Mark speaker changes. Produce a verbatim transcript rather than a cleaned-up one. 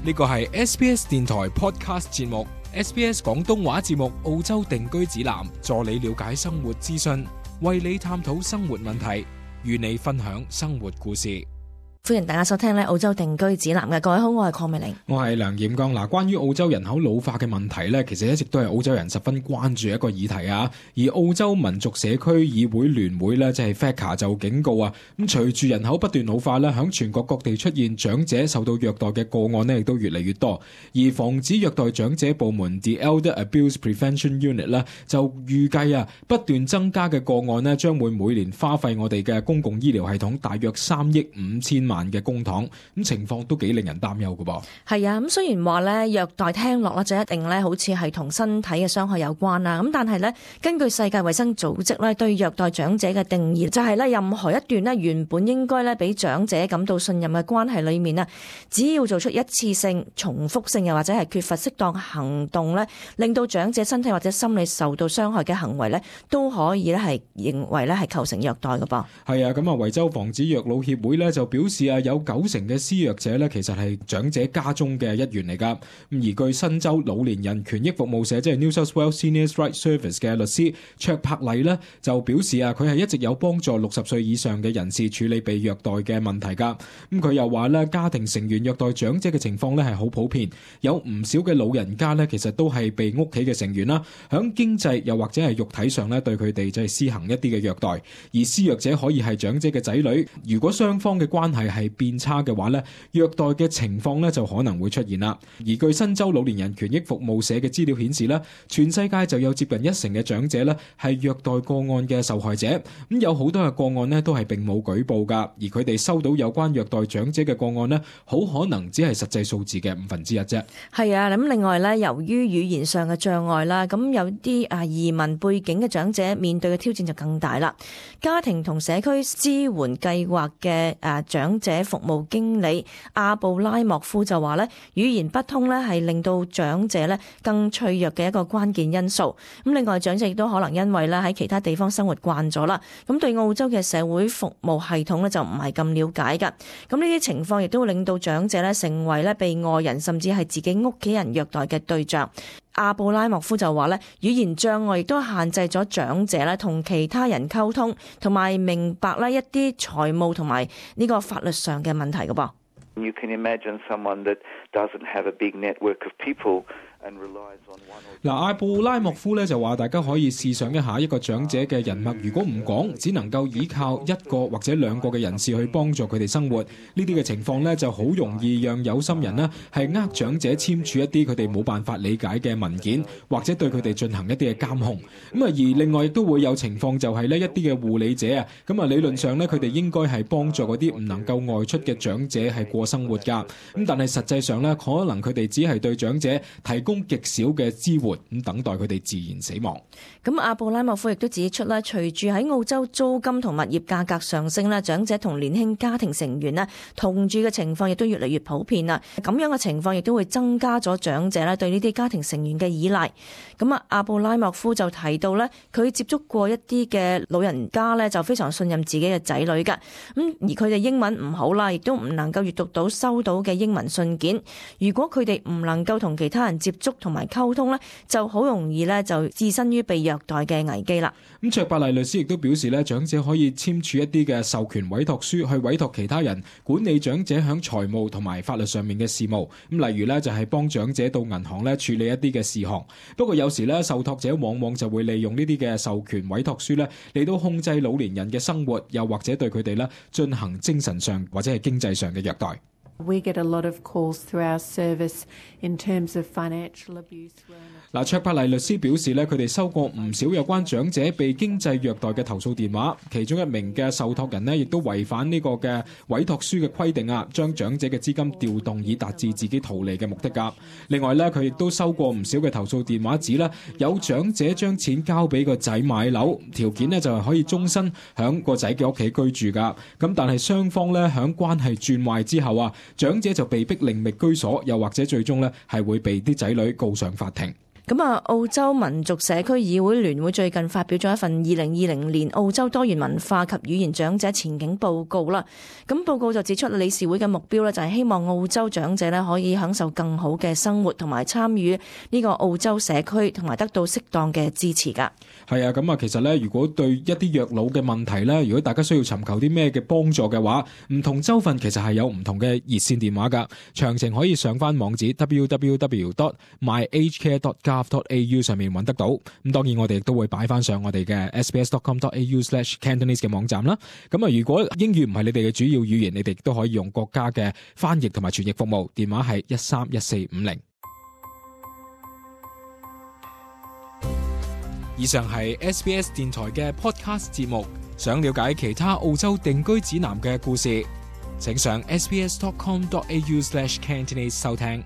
Speaker 1: 呢個係 S B S 電台 Podcast 節目 S B S 廣東話節目澳洲定居指南，助你了解生活資訊，為你探討生活問題，與你分享生活故事。
Speaker 2: 歡迎大家收聽咧澳洲定居指南嘅。各位好，我係鄺美玲，
Speaker 1: 我係梁彥剛。嗱，關於澳洲人口老化嘅問題咧，其實一直都係澳洲人十分關注一個議題啊。而澳洲民族社區議會聯會咧，即係 F A C A 就警告啊，咁隨住人口不斷老化咧，響全國各地出現長者受到虐待嘅個案咧，亦都越嚟越多。而防止虐待長者部門 The Elder Abuse Prevention Unit 咧，就預計啊，不斷增加嘅個案咧，將會每年花費我哋嘅公共醫療系統大約三億五千萬嘅公帑，咁情況都幾令人擔憂㗎噃。
Speaker 2: 係啊，咁雖然話咧虐待聽落咧就一定咧好似係同身體嘅傷害有關啦，咁但係咧根據世界衛生組織咧對虐待長者嘅定義，就係咧任何一段咧原本應該咧俾長者感到信任嘅關係裏面啊，只要做出一次性、重複性又或者係缺乏適當行動咧，令到長者身體或者心理受到傷害嘅行為咧，都可以咧係認為咧係構成虐待㗎噃。係
Speaker 1: 啊，咁啊維州防止虐老協會咧就表示啊，有九成嘅施虐者咧，其實係長者家中嘅一員嚟噶。咁而據新州老年人權益服務社，即係 New South Wales Seniors Rights Service 嘅律師卓柏麗咧，就表示啊，佢係一直有幫助六十歲以上嘅人士處理被虐待嘅問題噶。咁佢又話咧，家庭成員虐待長者嘅情況咧係好普遍，有唔少嘅老人家咧，其實都係被屋企嘅成員啦，響經濟又或者係肉體上咧對佢哋就係施行一啲嘅虐待。而施虐者可以係長者嘅仔女，如果雙方嘅關係係變差嘅話咧，虐待嘅情況咧就可能會出現啦。而據新州老年人權益服務社嘅資料顯示咧，全世界就有接近一成嘅長者咧係虐待個案嘅受害者。咁有好多嘅個案咧都係並冇舉報噶，而佢哋收到有關虐待長者嘅個案咧，好可能只係實際數字嘅五分之一啫。係啊，咁另外咧，由於語言上嘅障礙啦，咁有啲啊移民背景嘅長者面對嘅挑戰就更大啦。家庭同社區支援計劃嘅誒長者服務經理阿布拉莫夫就話咧，語言不通咧係令到長者咧更脆弱嘅一個關鍵因素。咁另外長者亦都可能因為咧喺其他地方生活慣咗啦，咁對澳洲嘅社會服務系統咧就唔係咁了解噶。咁呢啲情況亦都會令到長者咧成為咧被外人甚至係自己屋企人虐待嘅對象。阿布拉莫夫就話咧，語言障礙亦都限制咗長者咧同其他人溝通，同埋明白咧一啲財務同埋呢個法律上嘅問題㗎噃。
Speaker 3: You can imagine someone that doesn't have a big network of people.
Speaker 1: 嗱，阿布拉莫夫咧就話，大家可以試想一下，一個長者嘅人脈如果唔廣，只能夠依靠一個或者兩個嘅人士去幫助佢哋生活，呢啲嘅情況咧就好容易讓有心人呢係呃長者簽署一啲佢哋冇辦法理解嘅文件，或者對佢哋進行一啲嘅監控。咁啊，而另外亦都會有情況就係呢一啲嘅護理者啊，咁啊理論上咧佢哋應該係幫助嗰啲唔能夠外出嘅長者係過生活㗎。咁但係實際上咧，可能佢哋只係對長者提供極少嘅支援，咁等待佢哋自然死亡。
Speaker 2: 咁阿布拉莫夫亦都指出啦，隨住喺澳洲租金同物業價格上升啦，長者同年輕家庭成員咧同住嘅情況亦都越嚟越普遍啦。咁樣嘅情況亦都會增加咗長者咧對呢啲家庭成員嘅依賴。咁啊，阿布拉莫夫就提到咧，佢接觸過一啲嘅老人家咧，就非常信任自己嘅仔女㗎。咁而佢哋英文唔好啦，亦都唔能夠閱讀到收到嘅英文信件。如果佢哋唔能夠同其他人接觸同埋溝通咧，就好容易咧就置身於被虐待嘅危機啦。
Speaker 1: 咁卓伯麗律師亦都表示咧，長者可以簽署一啲嘅授權委託書，去委託其他人管理長者響財務同埋法律上面嘅事務。咁例如咧就係幫長者到銀行咧處理一啲嘅事項。不過有時咧受託者往往就會利用呢啲嘅授權委託書咧嚟到控制老年人嘅生活，又或者對佢哋咧進行精神上或者係經濟上嘅虐待。
Speaker 4: We get a lot of calls through our service in terms of financial abuse.
Speaker 1: 嗱，卓柏麗律師表示咧，佢哋收過唔少有關長者被經濟虐待嘅投訴電話，其中一名嘅受託人呢，亦都違反呢個嘅委託書嘅規定啊，將長者嘅資金調動以達至自己圖利嘅目的㗎。另外咧，佢亦都收過唔少嘅投訴電話，指咧有長者將錢交俾個仔買樓，條件呢就係可以終身響個仔嘅屋企居住㗎。咁但係雙方咧響關係轉壞之後啊，長者就被逼另覓居所，又或者最終咧係會被啲仔女告上法庭。
Speaker 2: 咁啊，澳洲民族社區議會聯會最近發表咗一份二零二零年澳洲多元文化及語言長者前景報告啦。咁報告就指出，理事會嘅目標呢，就係希望澳洲長者呢可以享受更好嘅生活，同埋參與呢個澳洲社區，同埋得到適當嘅支持噶。
Speaker 1: 係啊，咁啊，其實呢，如果對一啲虐老嘅問題呢，如果大家需要尋求啲咩嘅幫助嘅話，唔同州份其實係有唔同嘅熱線電話噶。詳情可以上翻網址 double-u double-u double-u dot my aged care dot gov dot a u 上面揾得到。咁當然我哋亦都會擺翻上我哋嘅 s b s dot com dot a u slash cantonese 嘅網站啦。咁啊，如果英語唔係你哋嘅主要語言，你哋亦都可以用國家嘅翻譯同埋傳譯服務，電話係一三一四五零。以上係 S B S 電台嘅 podcast 節目。想了解其他澳洲定居指南嘅故事，請上 s b s dot com dot a u slash cantonese 收聽。